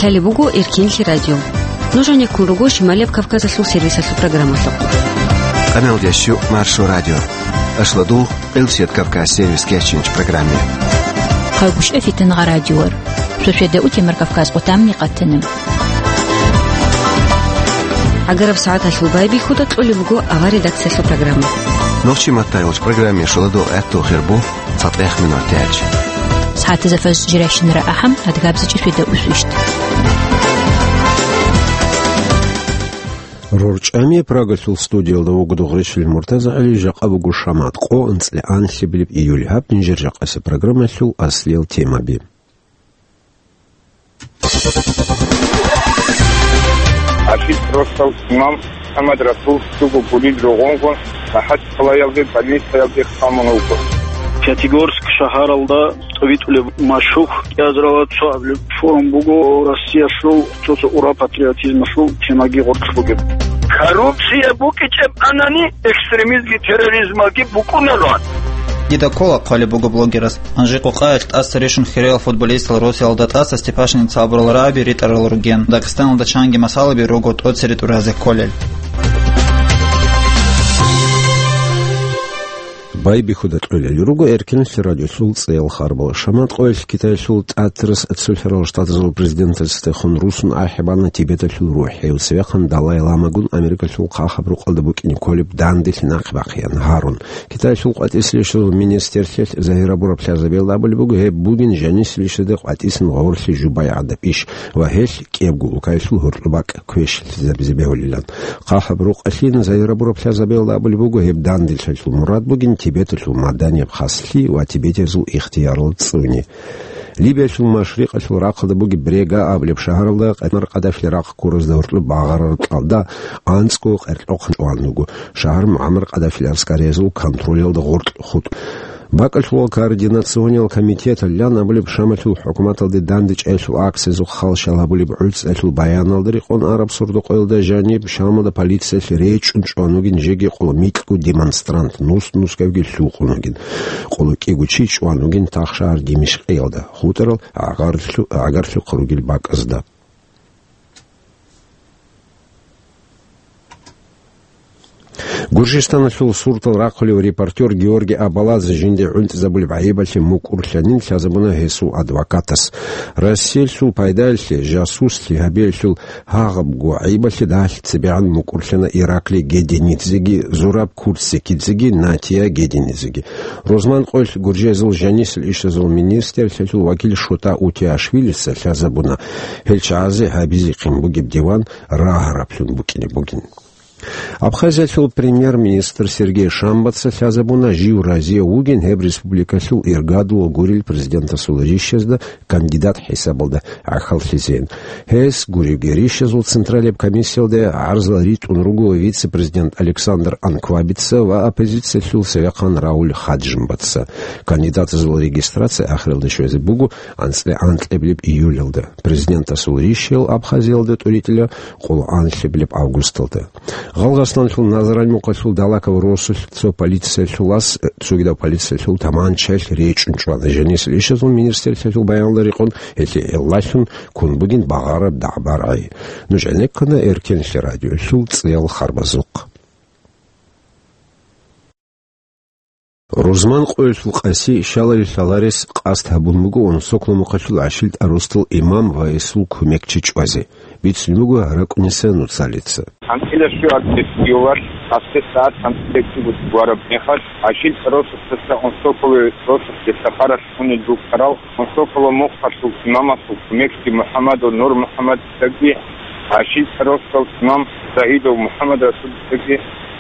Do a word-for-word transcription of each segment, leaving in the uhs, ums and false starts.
Лъалеб буго Эркенлъи радио. Нуж гьанеккун руго Шималияб Кавказалъул сервисалъул программалъухъ. Къаналдящу Маршо радио. Ашладугъ, Къилсият Кавказ сервис кечинч программе. Хъайгъушъа фитангъа радиор. Шошеда утемар Кавказ къутамни къатана. Агараб сагӀаталъул байбихьуда кьолеб буго авар редакциялъул программа. Нохчи маттайолч программе шуладо гӀатту хирбу. ЦатӀех минут тяч. СагӀатазда фаз жирайщинара ахӀам, адгабзичӀи шведа усвищт. РорчӀами Прагалъул студиялда вуго Дугъришил МуртазагӀили, жакъа буго шамат къо анцӀила анлъабилеб июль. Гьаб нижер жакъаса программалъул аслиял темаби. Ашил росал имам МухӀаммад Расул цуго гулил ругъунгун МахӀачхъалаялде больницаялде хъамун вуго. Пятигорск шагьаралда тӀовитӀулеб машгьур кӀиазарала цо абилеб форум буго Россиялъул цо-цо ура патриотизмалъул темаги гъоркь бугеб. Коррупция букӀичӀеб анани, экстремизмги терроризмалги букӀунароан. Дида ккола хъвалеб буго блогерас. Анжи-къукъаялъ тӀаса рищун хириял футболистал Русиялда тӀаса Степашинец абурал рагӀаби ритӀарал ругин. Дагъистаналда чанги масалаби руго тӀоцере тӀуразе кколел. Байбихьуда кьолел руго Эркенлъи радиолъул цӀеял харбал. Шамат къоялъ Китаялъул ТӀатарас цолъарал штатазул президентасдехун русун ахӀи бана Тибеталъул рухӀи, цевехъан Далай-ламагун Америкалъул хъахӀаб рукъалда букӀине кколеб данделъи нахъе бахъеян гьарун. Китаялъул къватӀисел ишазул министрлъиялъ загьир гьабураб лъазабиялда абулеб буго, гьеб бугин жанисел ишазде къватӀисан гъорлъи жубай гӀадаб иш ва гьелъ кӀиябго улкаялъул гьоркьоб бакӀ квешлъизабизе бегьулилан. ХъахӀаб рукъалъин загьир гьабураб лъазабиялда абулеб буго, гьеб данделъиялъул мурад бугин Тибеталъул маданияб хаслъи ва тибетиязул ихтиярал цӀуни. Либиялъул машрикъалъул рахъалда бугеб Брега абулеб шагьаралда Муаммар Каддафил рахъ ккуразда гьоркьоб багъарараб кьалда анцӀго къеркьохъан чӀван вуго. Шагьар Муаммар Каддафил гӀаскариязул контролалда гъоркь хутӀ. БакӀалъулал координациониял комитеталъ лъан абулеб Шамалъул хӀукуматалде дандечӀеялъул акциязухъ хал щал гьабулеб гӀуцӀалъул баяналда рекъон араб сордо-къоялда жаниб Шамалда полициялъ речӀчӀун чӀван вугин жеги къоло микьго демонстрант, нус-нусгавги лъукъун вугин. Къоло кӀиго чи чӀван вугин тахшагьар Димишкъиялда, хутӀарал гӀагарлъу-, гӀагарлъухъ ругел бакӀазда. Гуржистаналъул суртал рахъулев репортер Георгий Абаладзе жинде гӀунтӀизабулеб гӀайибалъе мукӀурлъанин лъазабуна гьесул адвокатас. Россиялъул пайдаялъе, жасуслъи гьабиялъул гьагъабго гӀайибалъе дагьалъи цебегӀан мукӀурлъана Ираклий Геденидзеги, Зураб Курцикидзеги, Натия Геденидзеги. Рузман къоялъ Гуржиязул жанисел ишазул министрлъиялъул вакил Шота Утиашвилица лъазабуна, гьел чагӀазе гьабизехъин бугеб диван рагьараблъун букӀине бугин. Абхазиялъул премьер-министр Сергей Шамбаца лъазабуна, жив разияв вугин гьеб республикалъул иргадула гурел президентасул рищазда кандидат хӀисабалда гӀахьаллъизейин. Гьес гуребги рищазул централияб комиссиялде гӀарзал ритӀун руго вице-президент Александр Анквабица ва оппозициялъул цевехъан Рауль Хаджимбаца. Кандидатазул регистрация ахиралде щвезе буго анцӀила анкьабилеб июлалда. Президентасул рищаял Абхазиялда тӀуритӀила къоло анлъабилеб августалда. Гъалгъастаналъул Назрань мухъалъул Далаков росулъ цо полициялъул ас, цогидав полициялъул таманчаялъ речӀчӀун чӀвана. Жанисел ишазул министрлъиялъул баянда рекъон, гьелъие гӀиллалъун ккун бугин багъараб дагӀба-рагӀи. Нуж гӀенеккана Эркенлъи радиолъул цӀеял харбазухъ. Рузман къоялъул Къаси щалалил лъаларес къасд гьабун буго Унсокла мухъалъул ГӀашилтӀа росдал имам ва гьесул кумекчи чӀвазе. Бицун буго РакӀуниса Нуцалица. ХӀантӀила щуабилеб июлалъ, къасде сагӀат хӀантӀилеб чӀугу вараб мехалъ, ГӀашилтӀа росдаса Унсокла росулъ Сахаралъ унел рукӀарал Унсокла мухъалъул имамасул кумекчи МухӀаммадов Нур МухӀаммадицаги, ГӀашилтӀа росдал имам Загьидов МухӀаммад Расулицаги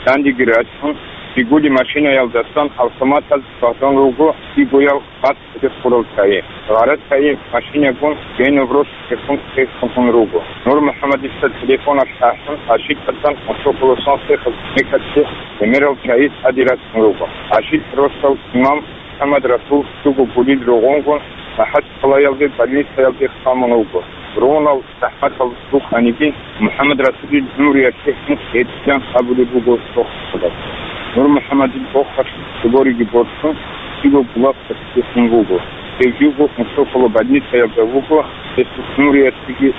дандеги рачун, Жигули машинаялдасан автоматаз багъун руго, Жигуял бацӀцӀадехъ гьурал чагӀи. ГъарачагӀи машинагун Генов росулъехун тесхун руго. Нур МухӀаммадица телефоналъ ахӀун, ГӀашилтӀасан Унсокла сенсехъаб мекалъе гӀемерал чагӀи тӀаде рачун руго. ГӀашилтӀа росдал имам МухӀаммад Расул цуго гулил ругъунгун МахӀачхъалаялде больницаялде хъамун вуго. Ругъунал захӀматал рукӀаниги, МухӀаммад Расулил гӀумруялъе гьункъ гьечӀилан абулеб буго дохутураз. Нур МухӀаммадил бохалъ цӀибориги борцун, Жигу Булахъалъухъ вуго. Гьев живго Унсокла больницаялда вуго, гьесул гӀумруялъеги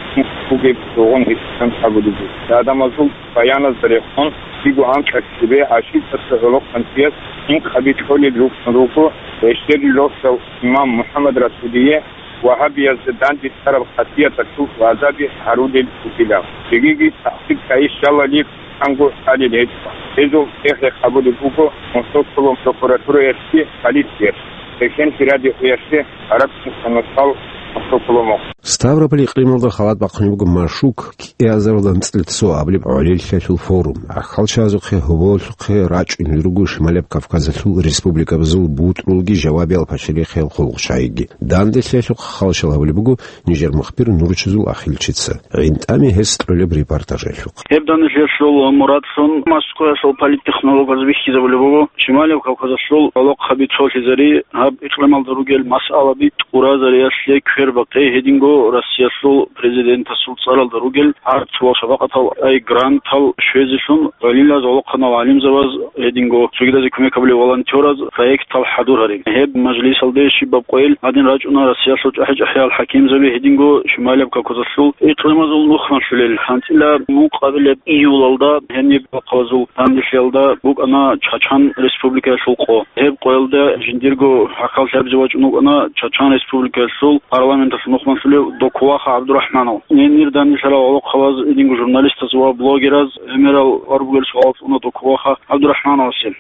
бугеб бугун гьитӀан абулеб буго. Гьадамазул баяназда рехун, кӀиго анкьа цебе гӀашикъасда гӀолохъанчияс инкъаби кьолел рукӀун руго, гьесдерил росдал имам МухӀаммад Расулие вагьабиязда данде цӀараб хасияталъул гӀазаби гьарулел ругилан. Цогиги тахӀсир кайищалали анго лъалел гьечӀо. Гьезул цӀехӀе къабулеб буго Московского прокуратураялъе, полициялъе, Чечен радиоялъе, гьаракь мухӀканасал Московского. Ставрополь икълималда халат бахъунеб буго Машук кӀиазаралда анцӀила цо абулеб гӀолилъиялъул форум. ГӀахьалчагӀазухъе, гьоболлъухъе рачӀунел руго Шималияб Кавказалъул республикабазул бутӀрулги жавабиял пашарихъиял хъулухъчагӀиги. Данделъиялъухъ хал щал гьабулеб буго нижер мухбир Нурчизул Ахилчица. ГӀинтӀами гьес кьолеб репортажалъухъ. Гьеб данделъиялъул мурадлъун Москваялъул политтехнологаз бихьизабулеб буго Шималияб Кавказалъул гӀолохъаби цолъизари, гьаб икълималда ругел масъалаби тӀуразариялъе квербахъе, гьединго Россиялъул президентасул цӀаралда ругел гьарцул шапакъатал ай грантал щвезелъун, гӀолилаз, гӀолохъанал гӀалимзабаз, гьединго цогидазе кумек гьабулев волонтераз проектал хӀадур гьариб. Гьеб мажлисалде щибаб къойил гьадин рачӀуна Россиялъул чӀахӀи-чӀахӀиял хӀакимзаби, гьединго Шималияб Кавказалъул икълимазул нухмалъулел. ГьанцӀила мукъабилеб июлалда гьениб бахъазул данделъиялда букӀана Чачан республикаялъул къо. Гьеб къоялда жиндирго гӀахьаллъи гьабизе вачӀун вукӀана Чачан республикаялъул парламенталъул нухмалъулев Докуваха ГӀабдурахӀманов. Гьенир данделъарал гӀолохъабаз, гьединго журналистаз ва блогераз гӀемерал гьарулел суал цӀуна Докуваха ГӀабдурахӀмановасе.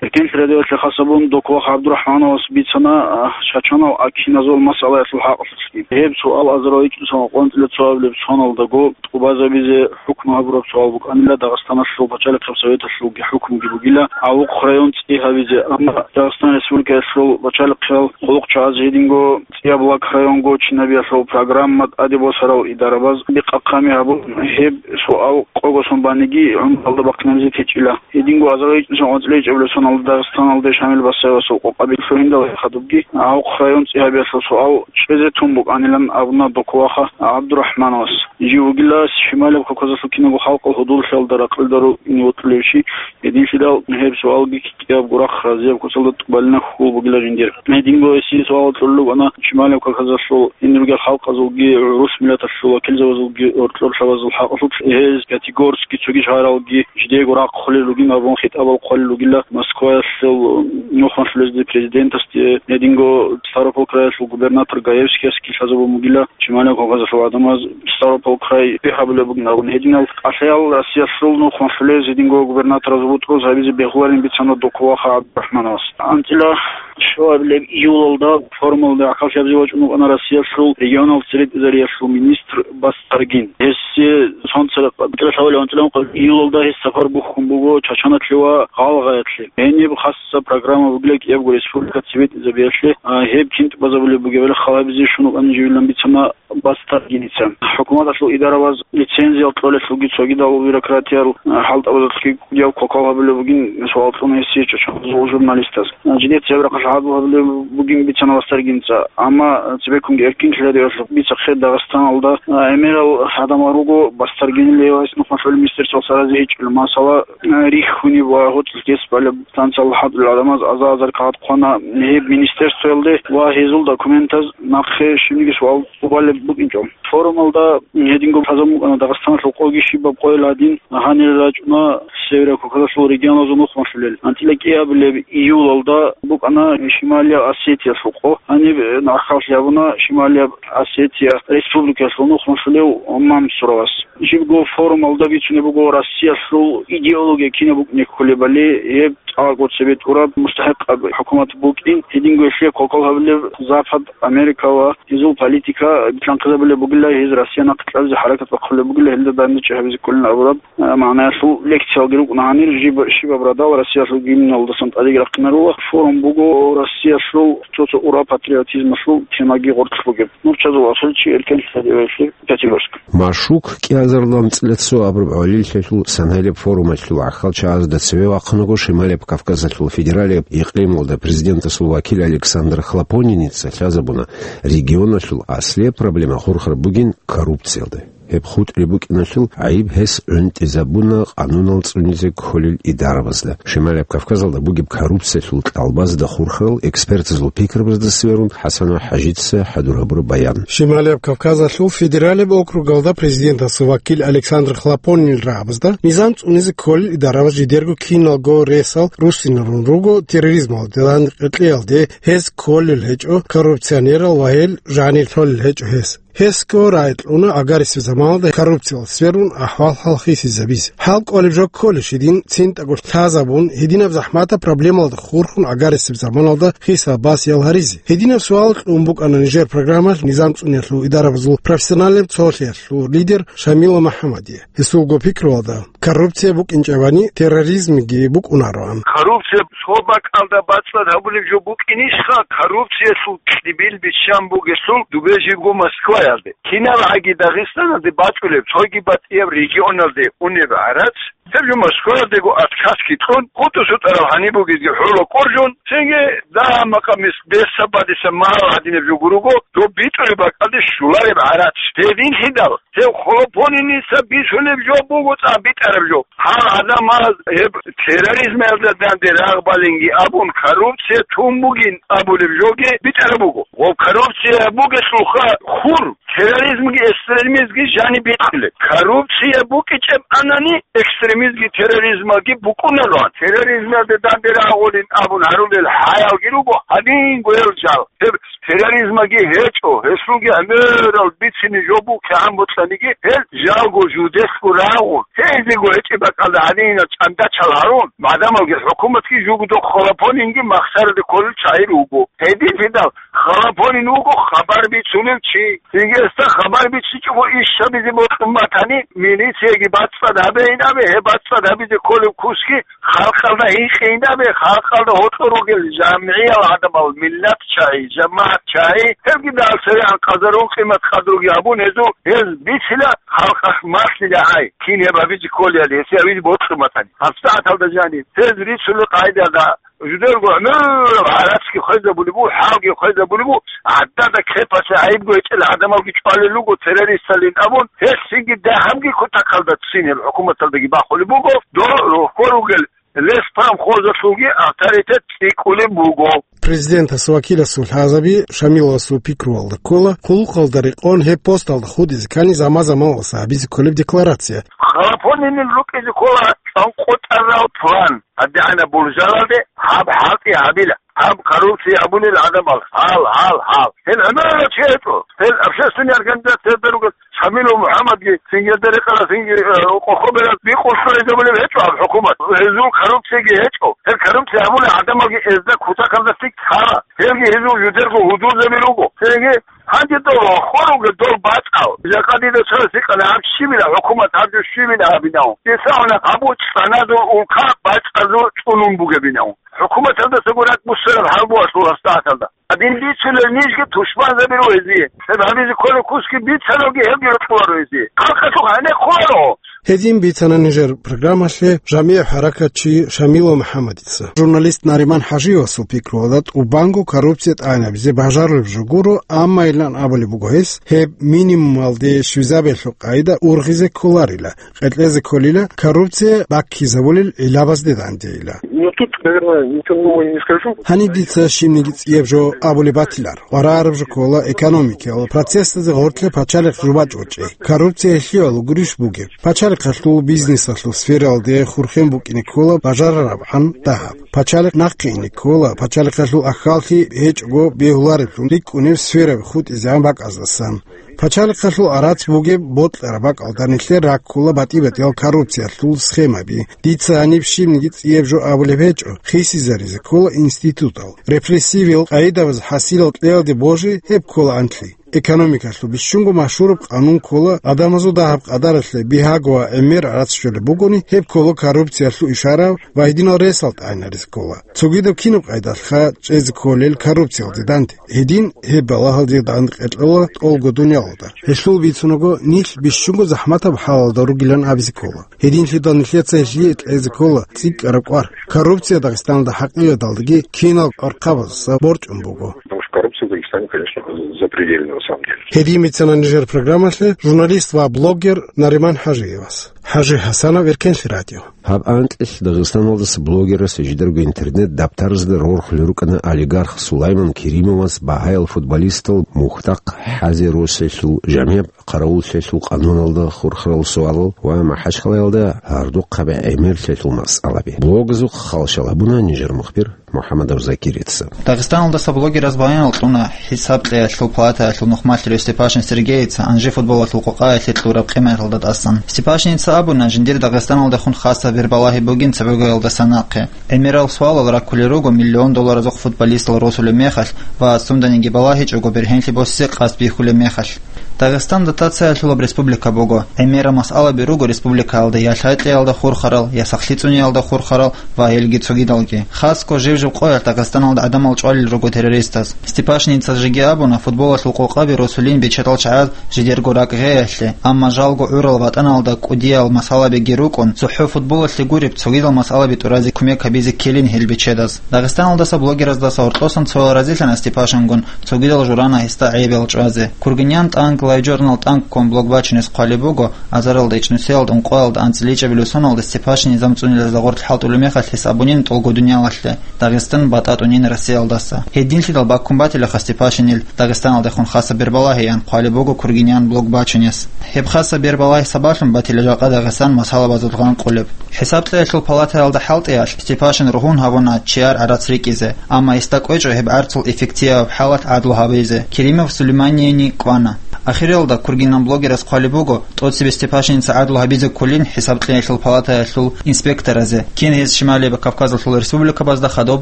Эркенлъи радиоялъе хас абун, Докуваха ГӀабдурахӀмановас бицана, а, чачанал акиназул масъалаялъул хӀакъалъулъги. Гьеб суал азарал ичӀнусанал къванцӀила цо абилеб соналдаго тӀубазабизе хӀукму гьабураб суал букӀанила Дагъистаналъул пачалихъаб советалъулги хӀукмуги бугила гӀавухъ район цӀи гьабизе, амма Дагъистан Республикаялъул пачалихъиял хъулухъчагӀаз гьединго ЦӀияб лак районго чинабиялъул программа тӀаде босарал идарабаз бикъахъами гьабун, гьеб суал къого сон баниги гӀумралда бахъинабизе течӀила. Гьединго азарал ичӀнусанал къванцӀила ичӀабилеб соналда Дагъистаналде Шамил Басаевасул къокъаби лъугьиндал хадубги гӀавухъ район цӀи гьабиялъул суал чӀезе тун букӀанилан абуна Докуваха ГӀабдурахӀмановас. Жив вугила Шималияб Кавказалъул кинабго халкъал гьудуллъиялда ракълилда ругин вокьулев чи, гьединлъидал гьеб суалги кӀиябго рахъ разияб куцалда тӀубалина хьул бугила жиндир. Гьединго гьесие суал кьолел рукӀана Шималияб Кавказалъул гьенир ругел халкъазулги, гӀурус миллаталъул вакилзабазулги, гьоркьор лъабазул хӀакъалъулъ гьез Пятигорский цоги шагьаралги жидеего рахъулел ругин абун хитӀабал хъвалел ругила Москваялъул нухмалъулезде президентасде, гьединго Ставрополь краялъул губернатор Гаевскиясги лъазабун бугила Шималияб Кавказалъул гӀадамаз Ставрополь край бихьабулеб бугин абун. Гьединал кӀалъаял Россиялъул нухмалъулез гьединго губернатораз бутӀруз гьабизе бегьуларин бицана Докуваха ГӀабдурахӀмановас. ГьанцӀила щуабилеб июлалда форумалда гӀахьаллъи гьабизе вачӀун вукӀана Россиялъул регионал церекӀизариялъул министр Бастаргин. Гьесие сонцара кӀалъалев анцӀила июлалда гьес сапар бухьун буго Чачаналъе ва Гъалгъаялъе. Гьениб хасса программа бугила кӀиябго республика цебетӀизабиялъе, а, гьеб кин тӀубазабулеб бугебали хал гьабизе щун вукӀана живилан бицана Бастаргиница. ХӀукуматалъул идарабаз лицензиял кьолелъулги цогидал бюрократиял, а, хӀалтӀабазулъги кӀудияв кокал гьабулеб бугин суал кьуна гьесие чачаназул журналистаз. А, жидеца гьеб рахъалъ гьабулеб бугин бицана Бастаргиница. Амма цебеккунги Эркин радиоялъухъ бицахъе Дагъистаналда, а, гӀемерал гӀадамал руго Бастаргинил гьев гьес нухмалъулеб министерствоялъ рази гьечӀел. Масала, а, рихьуниб ва гьоцӀлъи гьес балеб станциялда хӀалтӀулел гӀадамаз аза-азар кагъат хъвана гьеб министерствоялде ва гьезул документаз нахъе щибниги суал тӀубалеб букӀинчӀо. Форумалда гьединго лъазабун букӀана Дагъистаналъул къоги щибаб къойил гьадин гьанир рачӀуна Северо-Кавказалъул регионазул нухмалъулел. ГьанцӀила кӀиабилеб июлалда букӀана Шималияб Осетиялъул къо. Гьаниб гӀахьаллъи гьабуна Шималияб Осетия республикаялъул нухмалъулев Мамсуровас. Жибго форумалда бицунеб буго Россиялъул идеология кинаб букӀине кколебали, гьеб цӀакъго цебетӀураб мустахӀикъаб хӀукумат букӀин, гьединго гьелъие кокал гьабулеб Запад, Америка ва гьезул политика битлъанхъизабулеб бугила, гьез Россия нахъе кьабизе хӀаракат бахъулеб бугила, гьелда данде чӀей гьабизе кколин абураб, а, магӀнаялъул лекциялги рукӀуна. Гьанир жиб-, щибаб радал Россиялъул гимналдасан тӀадеги рахъинарула. Форум буго Россиялъул цо-цо ура патриотизмалъул темаги гъоркь бугеб. Нурчазул Асулчи, Эркен Садиевлъи, Пятигорск. Машук кӀиазаралда анцӀила цо абураб гӀолилъиялъул сан гьелеб форумалъул гӀахьалчагӀазда цеве вахъунаго Шималияб Кавказалъул федералияб икълималда президентасул вакил Александр Хлопониница лъазабуна, регионалъул аслияб проблема хурхараб бугин коррупциялда. Гьеб хутӀри букӀиналъул гӀайиб гьес гӀунтӀизабуна къанунал цӀунизе кколел идарабазда. Шималияб Кавказалда бугеб коррупциялъул кьалбазда хурхарал экспертазул пикрабазда сверун ХӀасанов ХӀажица хӀадур гьабураб баян. Шималияб Кавказалъул федералияб округалда президентасул вакил Александр Хлопонинил рагӀабазда низам цӀунизе кколел идарабаз жидерго киналго ресал руссиналъун руго терроризмалде, къеркьеялде гьез кколел гьечӀо коррупционерал ва гьел жанир лъолел гьечӀо гьес. Гьесго рагӀи кьуна гӀагарисеб заманалда коррупциялда сверун ахӀвал-хӀал хисизабизе. ХӀал кӀолеб жо кколищ гьедин цинтӀаго лъазабун, гьединаб захӀматаб проблемалда хурхун гӀагарисеб заманалда хисаб-басиял гьаризе? Гьединаб суал кьун букӀана нижер программалъ низам цӀуниялъул идарабазул профессиональнаб цолъиялъул лидер Шамилов МухӀаммадие. Гьесулго пикруялда, коррупция букӀинчӀебани, терроризмги букӀунароан. Коррупция цо бакӀалда бацӀцӀад гьабулеб жо букӀинищха, коррупциялъул кьибил биччан бугелъул дубе жибго Москваялде? КиналгӀаги Дагъистаналде бачӀулеб, цоги батӀияб регионалде унеб гӀарац, гьеб жо Москваялдего отказги кьун, хутӀу-сутӀарал гьаниб бугезги хӀула кӀуржун, цинги дагьа-макъамис бесаб-бадиса магьал гьадинаб жо гуруго, доб битӀулеб бакӀалде щулареб гӀарац. Гьединлъидал, гьев Хлопониница бицунеб жо буго цӀакъ битӀараб жо. Гьал гӀадамаз гьеб терроризмалда данде рагъбалинги абун, коррупция тун бугин абулеб жоги битӀараб буго. Ва коррупция бугелъулха хур, терроризмги экстремизмги жаниб бихъулеб. Коррупция букӀичӀеб анани, экстремизмги терроризмалги букӀунароан. Терроризмалда данде рагъулин абун гьарулел хӀаялги руго, гьадин гвел жал. Гьеб терроризмаги гьечӀо, гьелъулги гӀемерал бицине жо буго кигӀан бокьаниги, гьел жалго жудесго рагъун, гьезего гьечӀеб бакӀалда гьадинал чӀандачал гьарун, гӀадамалги хӀукуматги жугьутӀ Хлопонинги махсараде кколел чагӀи руго. Гьединлъидал Хлопонин вуго хабар бицунев чи. Цинги гьесда хабар бичичӀого иш гьабизе бокьун батани, милицияги бацӀцӀад гьабейин абе, гьеб бацӀцӀад гьабизе кколеб кусги халкъалда гьикъейин абе, халкъалда гьоркьор ругел жамгӀиял гӀадамал, миллат чагӀи, жамагӀат чагӀи, гьебги далсаригӀан къазарун къимат-къадруги гьабун гьезул, гьез бицила халкъалъ малъила гӀай, кин гьеб гьабизе кколеяли, гьесие гьабизе бокьун батани. ГьабсагӀаталда жаниб, гьез рицунел къагӀидалда, жидерго гӀумру гӀарацги хвезабулеб буго, хӀалги хвезабулеб буго, гӀадада кепалъе гӀайибго гьечӀел гӀадамалги чӀвалел руго террористалин абун, гьелъинги дагьабги кутакалда ццин гьеб хӀукуматалдаги бахулеб буго, дол рохьор ругел леспромхозалъулги авторитет цӀикӀкӀулеб буго. Президентас вакиласул лъазаби Шамиловасул пикруялда ккола, хъулухъалда рекъон гьеб посталда хутӀизе ккани заман-заманалъ гьабизе кколеб декларация. Хлопонинил рукӀине ккола цӀанкъутӀарал план. ГьадигӀанаб буржалалде гьаб хӀалтӀи гьабила. Гьаб коррупция гьабунел гӀадамал. Гьал, гьал, гьал. Гьел гӀемерал чи гьечӀо. Гьел общественный организациялда ругел Шамилов МухӀаммадги, цинги гьелда рекъарал цинги, э, къохобераз бикъулъ гьезабулеб гьечӀо гьаб хӀукумат. Гьезул коррупцияги гьечӀо. Гьел коррупция гьабулел гӀадамалги гьезда кутакалда цӀикӀкӀ лъала. Гьелги гьезул жидерго гьудулзаби руго. Цинги гьанже дол рохьор ругел дол бацӀал. Жакъа дида цо гьикъана гьаб щибила хӀукумат, гьаб жо щибила гьабинав. Дица гьанаб гьаб цӀаназул улка бацӀазул цӀунун бугебинав. ХӀукуматалдасаго ракӀ буссараб хӀал буго асул гьабсагӀаталда. Гьадин бицунел нижги тушманзаби руго гьезие. Гьеб гьабизе кколеб кусги бицаналги гьебги рокьуларо гьезие. Халкъалъухъ гьенеккуларо. Гьедин бицана нижер программалъе жамигӀ хӀаракатчи Шамилов МухӀаммадица. Журналист Нариман ХӀажиевасул пикруялда тӀубанго коррупция тӀагӀинабизе бажарулеб жо гуро, амма илан абулеб буго гьес, гьеб минимумалде щвезабиялъул къагӀида ургъизе кколарила, къеркьезе кколила коррупция баккизабулел гӀилабазде дандейила. Ну, тут, наверное, ничего нового не скажу. Гьаниб дица щибниги цӀияб жо абулеб батилар. КъваригӀараб жо ккола экономикиял процессазе гъоркье пачалихъ жубачӀ гьечӀей. Коррупция гьелъиялъул гурищ бугеб? Пачалихъалъул бизнесалъул сфералде хурхен букӀине ккола бажарарабгӀан дагьаб. Пачалихъ нахъе ине ккола, пачалихъалъул ахьаллъи гьечӀого бегьулареблъун рикӀкӀунеб сфераби хутӀизегӀан бакӀаздасан. Пачалихъалъул гӀарац бугеб бокьараб бакӀалда нилъер раккула батӀи-батӀиял коррупциялъул схемаби. Дица гьаниб щибниги цӀияб жо абулеб гьечӀо, хисизаризе ккола институтал. Репрессивиял къагӀидабаз хӀасилал кьеялде божи, гьеб ккола анлъи. Экономикалъул бищунго машгьураб къанун ккола гӀадамазул дагьаб-къадаралъе бигьаго ва гӀемер гӀарац щолеб бугони, гьеб ккола коррупциялъул ишара ва гьединал ресал тӀагӀинаризе ккола. Цогидаб кинаб къайдалъха чӀезе кколел коррупциялде данде? Гьедин гьеб балагьалде данде къеркьола тӀолго дуниялалда. Гьелъул бицунаго, нилъ бищунго захӀматаб хӀалалда ругилан абизе ккола. Гьединлъидал нилъеца гьелъие кьезе ккола цӀикӀкӀараб кӀвар. Коррупция Дагъистаналда хӀакъикъаталдаги кинал архъабаздаса борчӀун буго. Потому что коррупция в Дагестане, конечно, запредельно, на самом деле. Гьедин бицана нижер программалъе журналист ва блогер Нариман ХӀажиевас. ХӀажи ХӀасанов, Эркенлъи радио. Гьаб анкьилъ Дагъистаналдаса блогерас жидерго интернет-дабтарзда рорхулел рукӀана олигарх Сулайман Керимовас багьаял футболистал мухьдахъ хӀазе росиялъул жамигӀ хъаравуллъиялъул къануналда хурхарал суалал ва МахӀачхъалаялда гьардухъаби гӀемерлъиялъул масъалаби. Блогазухъ халщал гьабуна нижер мухбир МухӀаммадов Закирица. Дагъистаналдаса блогераз баянал кьуна ХӀисаб кьеялъул палатаялъул нухмалъулев Степашин Сергейица Анжи футболалъул къокъаялъе кьураб къиматалда тӀасан. Степашиница абуна, жиндир Дагъистаналдехун хаса бербалагьи бугин цебегоялдаса нахъе. ГӀемерал суалал раккулел руго миллион долларазухъ футболистал росулеб мехалъ ва сунданиги балагьичӀого бергьенлъи босизе къасд бихьулеб мехалъ. Дагъистан дотациялъулаб республика буго. ГӀемерал масъалаби руго республикаялда я лъай кьеялда хурхарал, я сахлъи цӀуниялда хурхарал ва гьелги цогидалги. Хасго жив-жив къоялъ Дагъистаналда гӀадамал чӀвалел руго террористаз. Степашиница жеги абуна, футболалъул къокъаби росулин бечедал чагӀаз жидерго ракӀ гъеялъе, амма жалго гӀурал ватӀаналда кӀудиял масъалабиги рукӀун, цохӀо футболалъе гуреб цогидал масъалаби тӀуразе кумек гьабизе ккелин гьел бечедаз. Дагъистаналдаса блогераздаса гьоркьосан цоял разилъана Степашингун, цогидал журана гьесда гӀайибал чӀвазе. Кургинян тӀанк лайв-журнал тӀанкком блог бачунес хъвалеб буго, азаралда ичӀнусиялда ункъоялда анцӀила ичӀабилеб соналда Степашин низам цӀунилазда гъорлъ хӀалтӀулеб мехалъ гьес абунин тӀолго дуниялалъе, Дагъистан батӀа тӀунин Россиялдаса. Гьединлъидал баккун батила ха Степашинил Дагъистаналдехун хаса бербалагьиян хъвалеб буго Кургинян блог бачунес. Гьеб хаса бербалагьи сабаблъун батила жакъа Дагъистан масъалабазул гъанкъулеб. ХӀисаб кьеялъул палатаялда хӀалтӀиялъ Степашин ругьун гьабуна чияр гӀарац рикӀкӀизе, амма гьесда кӀвечӀо гьеб гӀарцул эффектияб хӀалалъ гӀадлу гьабизе. Керимов Сулейманияни кӀвана. Ахиралда Кургинан блогерас хъвалеб буго, тӀоцебе Степашиница гӀадлу гьабизе кколин хӀисаб кьеялъул палатаялъул инспекторазе, кин гьез Шималияб Кавказалъул республикабазда хадуб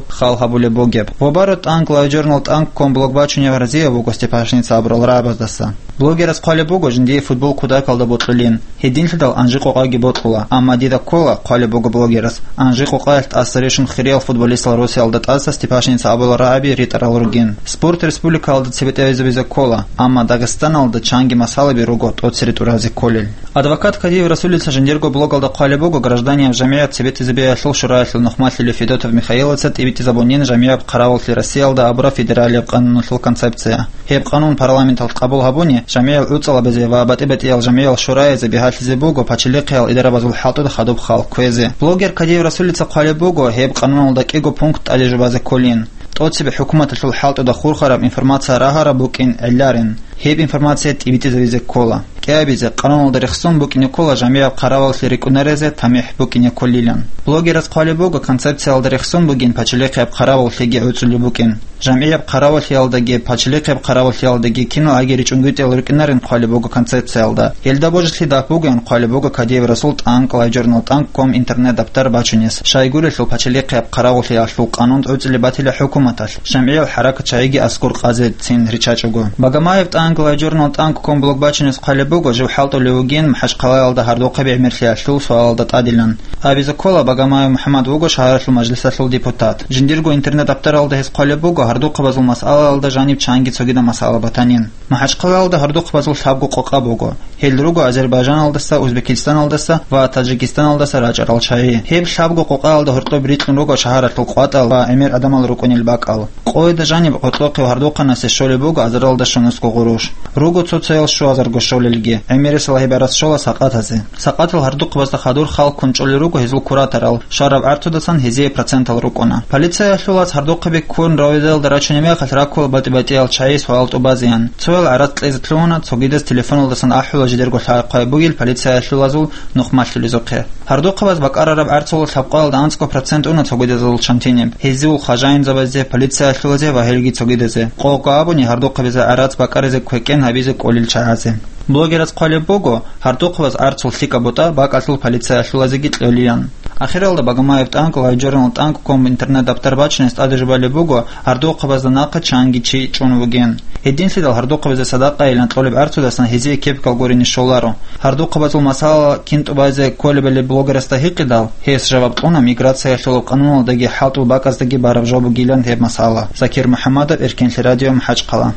хал гьабулеб бугеб. Вобаро тӀанк лайв-журнал тӀанкком блог бачунев разияв вуго Степашиница абурал рагӀабаздаса. Блогерас хъвалеб буго, жиндие футбол кутакалда бокьулин. Гьединлъидал анжи-къокъаги бокьула, амма дида ккола, хъвалеб буго блогерас, анжи-къокъаялъ тӀаса рещун хириял футболистал росиялда тӀаса Степашиница абулал рагӀаби ритӀарал ругин. Спорт республикаялда цебетӀезабизе ккола, амма Дагъистаналда чанги масъалаби руго тӀоцере тӀуразе кколел. Адвокат Кадиев Расулица жиндирго блогалда хъвалеб буго, гражданияв жамигӀат цебетӀезабиялъул шураялъул нухмалъулев Федотов Михаилица тӀибитӀизабунин жамигӀаб хъаравуллъи Россиялда абураб федералияб къануналъул концепция. Гьеб къанун парламенталъ къабул гьабуни, жамигӀал гӀуцӀалабазе ва батӀи-батӀиял жамигӀал шураязе бигьалъизе буго пачалихъиял идарабазул хӀалтӀуда хадуб хал кквезе. Блогер Кадиев Расулица хъвалеб буго, гьеб къануналда кӀиго пункт тӀаде жубазе кколин. ТӀоцебе хӀукуматалъул хӀалтӀуда хурхараб информация рагьараб букӀин гӀилларин, гьеб информация тӀибитӀизабизе ккола. КӀиабизе, къануналда рехсон букӀине ккола жамигӀаб хъараваллъи рикӀкӀунарезе тамихӀ букӀине кколилан. Блогерас хъвалеб буго, концепциялда рехсон бугин пачалихъияб хъараваллъиги гӀуцӀулеб букӀин. ЖамгӀияб хъараваллъиялдаги пачалихъияб хъараваллъиялдаги киналги ричӀунгутӀиялда рукӀинарин хъвалеб буго концепциялда. Гьелда божилъи дагь бугоян хъвалеб буго Кадиев Расул тӀанкӀ лайв-журнал тӀанкӀком интернет-дабтар бачунес, щайгурелъул пачалихъияб хъараваллъиялъул къанун гӀуцӀулеб батила хӀукуматалъ, жамгӀиял хӀаракат чагӀиги аскӀор къазе цин риччачӀого. Багамаев тӀанкӀ лайв-журнал тӀанкӀком блог бачунес хъвалеб буго жив хӀалтӀулев вугин МахӀачхъалаялда гьардухъаби гӀемерлъиялъул суалалда тӀадилан. Абизе ккола, Багамаев МухӀаммад вуго шагьаралъул мажлисалъул депутат. Жиндирго интернет-дабтаралда гьес хъвалеб буго гьардухъабазул масъалаялда жаниб чанги цогидаб масъала батанин. МахӀачхъалаялда гьардухъабазул лъабго къокъа буго. Гьел руго Азербайжаналдаса, Узбекистаналдаса ва Таджикистаналдаса рачӀарал чагӀи. Гьеб лъабго къокъаялда гьоркьоб рикьун руго шагьаралъул къватӀал ва гӀемер гӀадамал рукӀунел бакӀал. Къойда жаниб гъоркьохъеб гьардухъанасе щолеб буго азаралда щунусго гъурущ. Руго цо-цоял щуазарго щолелги. ГӀемерисела гьеб гӀарац щола сакъатазе. Сакъатал гьардухъабазда хадур хал ккун чӀолел руго гьезул кураторал, щвараб гӀарцудасан гьезие процентал рукӀуна. Полициялъулаз гьардухъаби ккун равидалда рачунеб мехалъ раккула батӀи-батӀиял чагӀи суал тӀубазеян. Цоял гӀарац кьезе лъугьуна, цогидаз телефоналдасан ахӀула жидерго лъай-хъвай бугел полициялъулазул нухмалъулезухъе. Гьардухъабаз бакӀарараб гӀарцул лъабкъоялда анцӀго процент уна цогидазул чантиниб, гьезул хважаинзабазе, полициялъулазе ва гьелги цогидазе. Къого абуни, гьардухъабизе гӀарац бакӀаризе квекӀен гьабизе кӀолел чагӀазе. Блогераз хъвалеб буго, гьардухъабаз гӀарцул лъикӀаб бутӀа бакӀалъул полициялъулазеги кьолилан. Ахиралда Багамаев тӀанкӀ лайв-журнал тӀанкӀком интернет-дабтар бачунес тӀаде жубалеб буго, гьардухъабазда нахъа чанги чи чӀун вугин. Гьединлъидал гьардухъабазе садакъайилан кьолеб гӀарцудасан гьезие кепкал гурине щоларо. Гьардухъабазул масъала кин тӀубазе кколебали блогерасда гьикъидал, гьес жаваб кьуна миграциялъул къануналдаги хӀалтӀул бакӀаздаги бараб жо бугилан гьеб масъала. Закир МухӀаммадов, Эркенлъи радио, МахӀачхъала.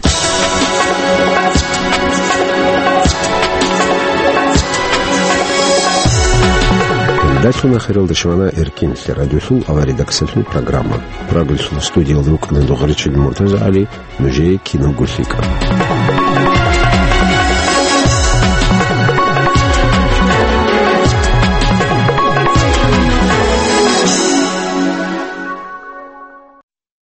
Дацун ахиралда щвана Эркин лъе радиолъул авария даксалъул программа. Прагулъул студиялда рукӀана дугъричил Муртаза ГӀали, нужее кино гулъикӀа.